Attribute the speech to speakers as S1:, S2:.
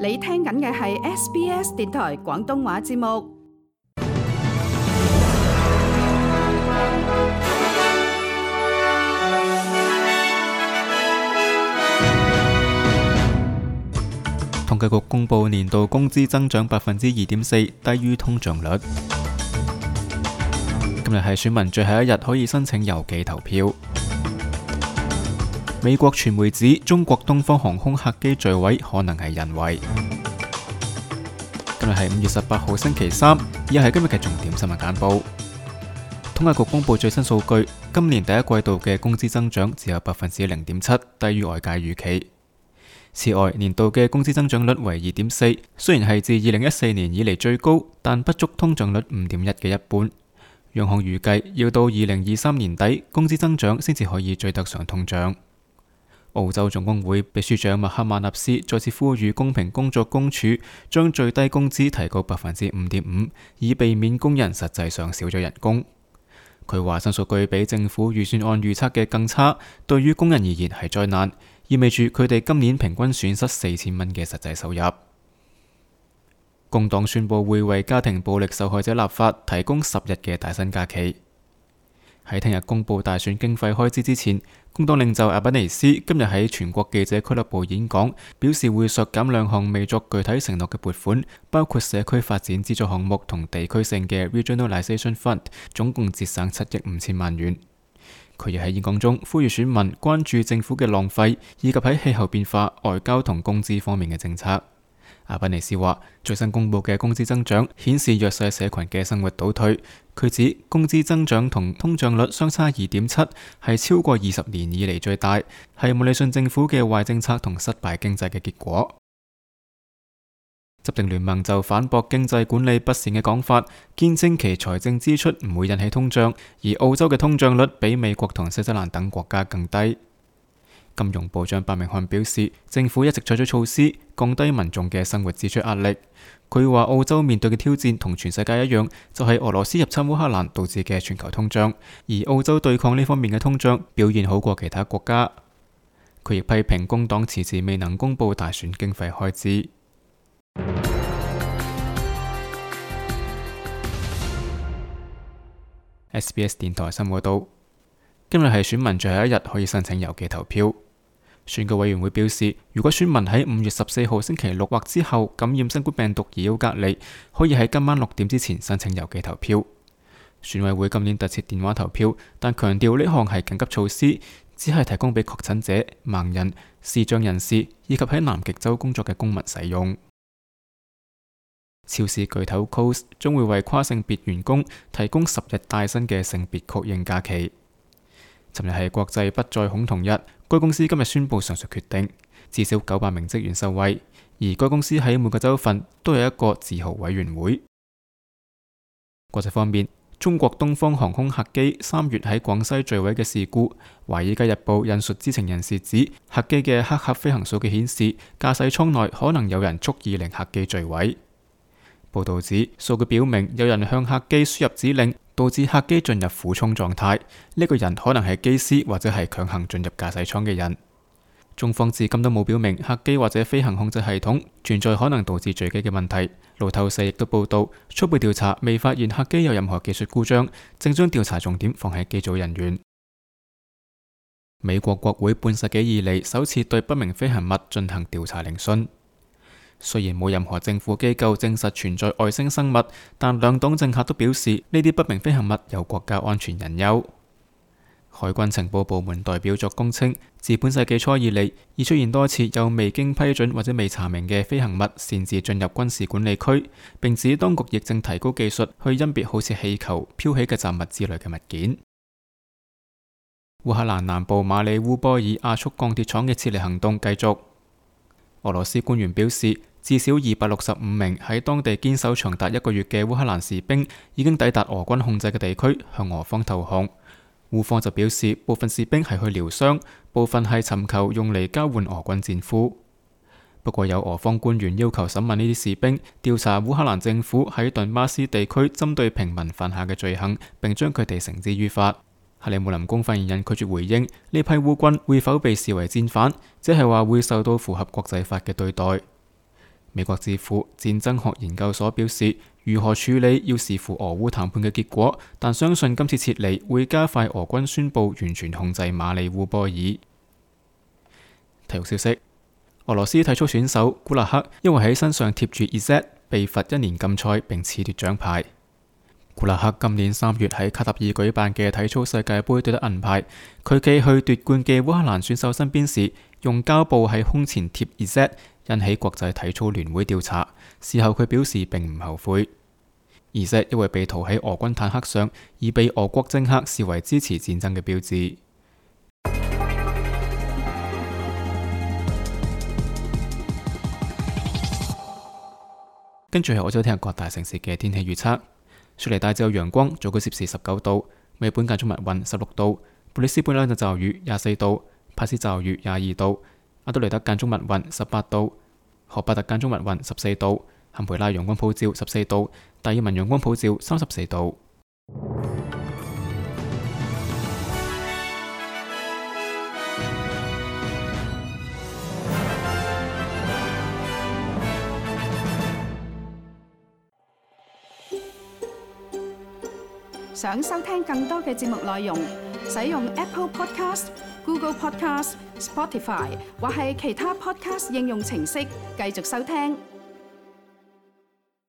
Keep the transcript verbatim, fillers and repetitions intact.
S1: 你聽緊嘅係 S B S 電台廣東話節目。
S2: 統計局公布年度工資增長百分之二點四，低於通脹率。今日係選民最後一日，可以申請郵寄投票。美國傳媒指中國東方航空客機墜毀可能係人為。今日係五月十八號星期三，以下係今日嘅重點新聞簡報。統計局公布最新數據，今年第一季度嘅工資增長只有百分之零點七，低於外界預期。此外，年度嘅工資增長率為二點四，雖然係自二零一四年以嚟最高，但不足通脹率五點一嘅一半。央行預計要到二零二三年底，工資增長先至可以追得上通脹。澳洲總工會秘書長麥克馬納斯再次呼籲公平工作公署將最低工資提高百分之五點五，以避免工人實際上少咗人工。佢話新數據比政府預算案預測嘅更差，對於工人而言係災難，意味住佢哋今年平均損失四千蚊嘅實際收入。工黨宣布會為家庭暴力受害者立法，提供十日嘅帶薪假期。喺聽日公布大選經費開支之前，工黨領袖阿賓尼斯今日喺全國記者俱樂部演講，表示會削減兩項未作具體承諾嘅撥款，包括社區發展資助項目同地區性嘅 Regionalisation Fund， 總共節省七億五千萬元。佢亦喺演講中呼籲選民關注政府嘅浪費，以及喺氣候變化、外交同工資方面嘅政策。阿賓尼斯話，最新公布嘅工資增長顯示弱勢社群嘅生活倒退。佢指工資增長同通脹率相差二點七，係超過二十年以嚟最大，係莫里遜政府嘅壞政策同失敗經濟嘅結果。執政聯盟就反駁經濟管理不善嘅講法，堅稱其財政支出唔會引起通脹，而澳洲嘅通脹率比美國同新西蘭等國家更低。金融部長白明漢表示，政府一直採取措施降低民眾嘅生活支出壓力。佢話澳洲面對嘅挑戰同全世界一樣，就係俄羅斯入侵烏克蘭導致嘅全球通脹，而澳洲對抗呢方面嘅通脹表現好過其他國家。佢亦批評工黨遲遲未能公布大選經費開支。S B S 電台新聞報道，今日係選民最後一日，可以申請郵寄投票。選舉委員會表示，如果選民喺五月十四號星期六或之後感染新冠病毒而要隔離，可以喺今晚六點之前申請郵寄投票。選委會今年特設電話投票，但強調呢項係緊急措施，只係提供俾確診者、盲人、視障人士以及喺南極洲工作嘅公民使用。超市巨頭 Coles 將會為跨性別員工提供十日帶薪嘅性別確認假期。尋日係國際不再恐同日，該公司今日宣布上述決定，至少九百名職員受惠，而該公司喺每個州份都有一個自豪委員會。國際方面，中國東方航空客機三月喺廣西墜毀嘅事故，《華爾街日報》引述知情人士指，客機嘅黑盒飛行數據顯示，駕駛艙內可能有人蓄意令客機墜毀。報導指，數據表明有人向客機輸入指令，導致客機進入俯衝狀態。呢個人可能係機師或者係強行進入駕駛艙嘅人。中方至今都冇表明客機或者飛行控制系統存在可能導致墜機嘅問題。路透社亦都報導，初步調查未發現客機有任何技術故障，正將調查重點放喺機組人員。美國國會半世紀以嚟首次對不明飛行物進行調查聆訊。雖然冇任何政府機構證實存在外星生物，但兩黨政客都表示呢啲不明飛行物有國家安全隱憂。海軍情報部門代表作供稱，自本世紀初以嚟，已出現多次有未經批准或者未查明嘅飛行物擅自進入軍事管理區，並指當局亦正提高技術去甄別好似氣球、飄起嘅雜物之類嘅物件。烏克蘭南部馬里烏波爾亞速鋼鐵廠嘅撤離行動繼續。俄羅斯官員表示，至少二百六十五名喺當地堅守長達一個月嘅烏克蘭士兵已經抵達俄軍控制嘅地區，向俄方投降。烏方就表示，部分士兵係去療傷，部分係尋求用嚟交換俄軍戰俘。不過有俄方官員要求審問呢啲士兵，調查烏克蘭政府喺頓巴斯地區針對平民犯下嘅罪行，並將佢哋繩之於法。克里姆林宮發言人拒絕回應呢批烏軍會否被視為戰犯，即係話會受到符合國際法嘅對待。美國智庫戰爭學研究所表示，如何處理要視乎俄烏談判嘅結果，但相信今次撤離會加快俄軍宣布完全控制馬里烏波爾。體育消息：俄羅斯體操選手古勒克因為喺身上貼住 Z 被罰一年禁賽並褫奪獎牌。古勒克今年三月喺卡塔爾舉辦嘅體操世界盃奪得銀牌，佢企去奪冠嘅烏克蘭選手身邊時，用膠布喺胸前貼 Z， 引起國際體操聯會調查。事後佢表示並唔後悔。Z 因為被塗喺俄軍坦克上，而被俄國政客視為支持戰爭嘅標誌。跟住係我哋聽日各大城市嘅天氣預測。雪梨大致有陽光，最高攝氏十九度；墨爾本間中密雲，十六度；布里斯本兩陣驟雨，廿四度；帕斯驟雨，廿二度；阿德雷德間中密雲，十八度；荷伯特間中密雲，十四度；坎培拉陽光普照，十四度；達爾文陽光普照，三十四度。
S1: 想收聽更多嘅節目內容，使用 Apple Podcast、Google Podcast、Spotify 或係其他 Podcast 應用程式繼續收聽。